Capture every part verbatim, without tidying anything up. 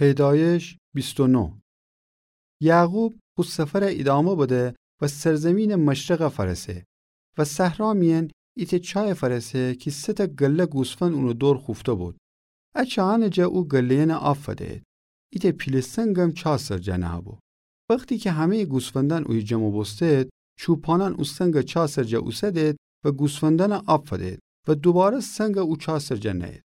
پیدایش بیست و نه. یعقوب خو سفرَ ایدامه بده و سرزمینٚ مشرقَ فأرسه و صحرا میأن ایتأ چایَ فأرسه کی سه‌تأ گله گوسفند اونٚ دور خوفته بود. ا چایأنٚ جا او گله‌یأنَ آب فده‌یید. ایتأ پیله سنگم چا سر جا نهه‌بو. وختی کی همه‌یٚ گوسفندأن اویه جمع بوسته‌یید، چوپانأن او سنگَ چا سر جا اوسده‌یید و گوسفندأنَ آب فده‌یید و دوباره سنگَ او چا سر جا نهه‌یید.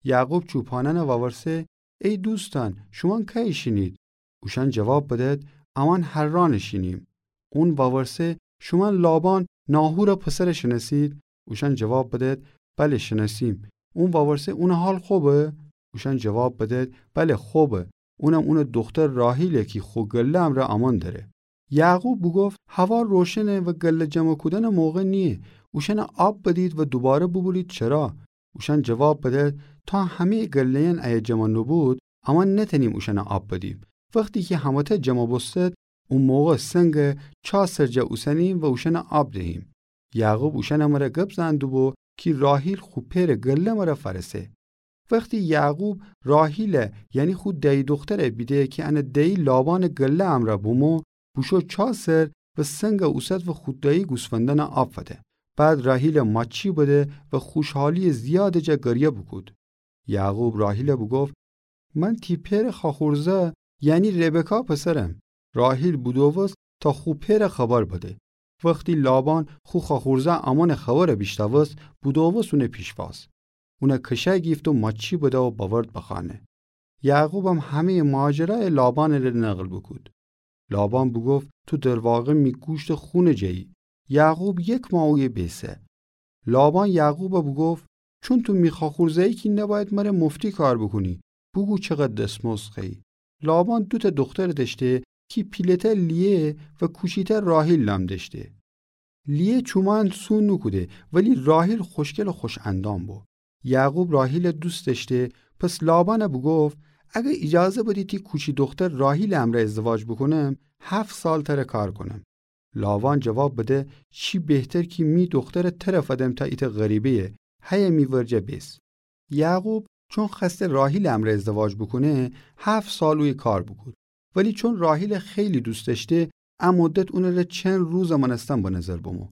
یعقوب چوپانأنَ وورسه: ای دوستأن، شومأن کأیه شینید؟ اوشأن جواب بده‌یید: امأن حرانٚ شینیم. اون وورسه: شومأن لابان، ناحورٚ پسرَ شنأسید؟ اوشأن جواب بده‌یید: بله، شنأسیم. اون وورسه: اونٚ حال خوبه؟ اوشأن جواب بده‌یید: بله، خوبه. اونم اونٚ دوختر راحیله کی خو گله امرأ امأن دأره. یعقوب بوگفت: هوا روشنه و گله جمع کودنٚ موقع نییه. اوشأنَ آب بدید و دوباره بوبورید چرا. اوشأن جواب بده‌یید: تا همه‌یٚ گله‌یأن ایه جمع نوبود، امأن نتأنیم اوشأنَ آب بدیم. وختی کی همه‌تأ جمع بوستد، او موقع سنگَ چا سر جا اوسنیم و اوشأنَ آب دهیم. یعقوب اوشأنٚ مره گب زئن دوبو کی راحیل خو پئرٚ گله مره فأرسه. وختی یعقوب راحیلَ، یعنی خو دأیی دوخترَ بیده کی انٚ دأیی لابانٚ گله امرأ بومو، بوشو چا سر و سنگَ اوسد و خو دأیی گوسفندأنَ آب فده. بعد راحیلَ ماچی بده و خوشحالی‌یٚ زیادٚ جا گریه بوکود. یعقوب راحیلَ بوگفت: من تی پئرٚ خواخورزأ، یعنی ربکا پسرم. راحیل بودووست تا خو پئرَ خبر بده. وختی لابان خو خواخورزأ امونٚ خبرَ بیشنوست، بودووست اونٚ پیشواز. اونَ کشه گیفت و ماچی بده و بأورد بخانه. یعقوبم همه‌یٚ ماجرایَ لابانٚ ره نقل بوکود. لابان بوگفت: تو در واقع می گوشتٚ خونٚ جه‌یی. یعقوب یک ماه اویه بیسه. لابان یعقوبَ بوگفت: چون تو می خواخورزأیی کی نبأید مره مفتی کار بوکونی. بوگو چقدر دسمزد خوأیی. لابان دوتأ دوخترَ دأشته کی پیله‌تأ لیه و کوچی‌تأ راحیل نام دأشته. لیه چومأن سو نوکوده، ولی راحیل خوشگل و خوش‌اندام بو. یعقوب راحیلَ دوست دأشته، پس لابانَ بوگفت: اگر ایجازه بدی تی کوچی دوختر راحیلٚ امرأ ازدواج بوکونم، هفت سال تره کار کونم. لابان جواب بده: چی بهتر کی می دوخترَ تره فدم تا ایتأ غریبه‌یه، هیه می ورجه بیس. یعقوب چون خوأسته راحیلٚ امرأ ازدواج بوکونه، هفت سال اویه کار بوکود. ولی چون راحیلَ خیلی دوست دأشته، ا مدت اونٚ ره چند روزٚ مأنستن به نظر بمو.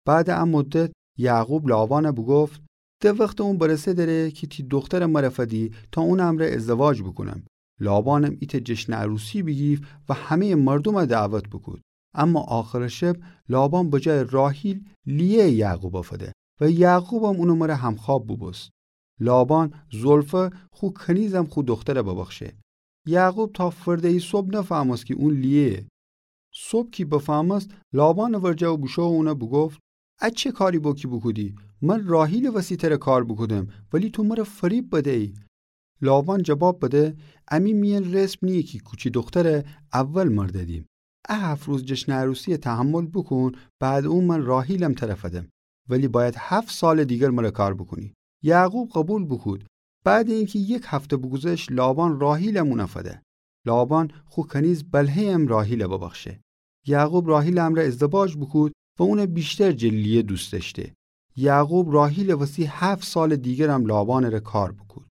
بعدٚ ا مدت یعقوب لابانَ بوگفت: ده وختٚ اون برسه دره کی تی دوخترَ مره فدی تا اونٚ امرأ ازدواج بوکونم. لابانم ایتأ جشنٚ عروسی بیگیفت و همه‌یٚ مردومَ دعوت بوکود. اما آخرٚ شب لابان به جایٚ راحیل لیه یعقوبَ فده و یعقوبم اونٚ مره همخواب بوبوست. لابان زلفا خو کنیزم خو دوخترَ ببخشه. یعقوب تا فرده‌یی صبح نفهمست کی اون لیه‌یه. صبح کی بفهمست، لابانٚ ورجه بوشو و اونَ بوگفت: ا چه کاری بو کی بوکودی؟ من راحیلٚ وسی تره کار بوکودم، ولی تو مره فریب بدیی. لابان جواب بده: امی میأن رسم نییه کی کوچی دوخترَ اول مر ددیم. ا هفت روز جشنٚ عروسی‌یَ تحمل بوکون، بعدٚ اون من راحیلم تره فدم. ولی بأید هفت سالٚ دیگر مره کار بوکونی. یعقوب قبول بوکود. بعدٚ اینکی یک هفته بوگوذشت، لابان راحیلم اونَ فده. لابان خو کنیز بله‌یم راحیلَ ببخشه. یعقوب راحیلٚ امرأ ازدواج بوکود و اونَ بیشتر جٚه لیه دوست دأشته. یعقوب راحیلٚ وسی هفت سالٚ دیگرم لابانٚ ره کار بوکود.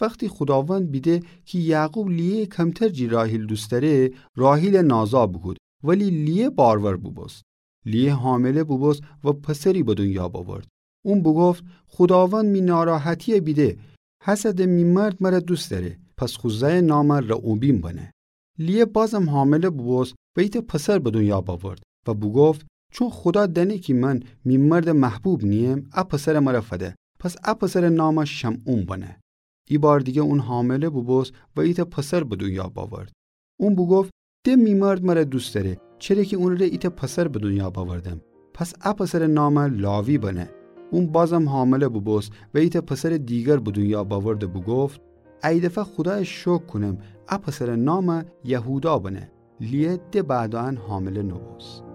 وختی خوداوند بیده کی یعقوب لیه کمتر جٚه راحیل دوست دأره، راحیلَ نازا بوکود، ولی لیه بارور بوبوست. لیه حامله بوبوست و پسری به دونیا بأورد. اون بوگفت: خوداوند می ناراحتی‌یَ بیده، هسه ده می مرد مره دوست دأره، پس خو زأیٚ نامَ رئوبین بنه. لیه بازم حامله بوبوست و ایتأ پسر به دونیا بأورد و بوگفت: چون خودا دأنه کی من می مردٚ محبوب نییم، ا پسرَ مره فده، پس ا پسرٚ نامَ شمعون بنه. ایبار دیگر اون حامله بوبوست و ایتأ پسر به دونیا بأورد. اون بوگفت: ده می مرد مره دوست دأره، چره کی اونٚ ره ایتأ پسر به دونیا بأوردم، پس ا پسرٚ نامَ لاوی بنه. اون بازم حامله بوبوست و ایتأ پسرٚ دیگر به دونیا بأورد و بوگفت: ای دفعه خودایَ شکر کونم، ا پسرٚ نامَ یهودا بنه. لیه ده بعد ان حامله نوبوست.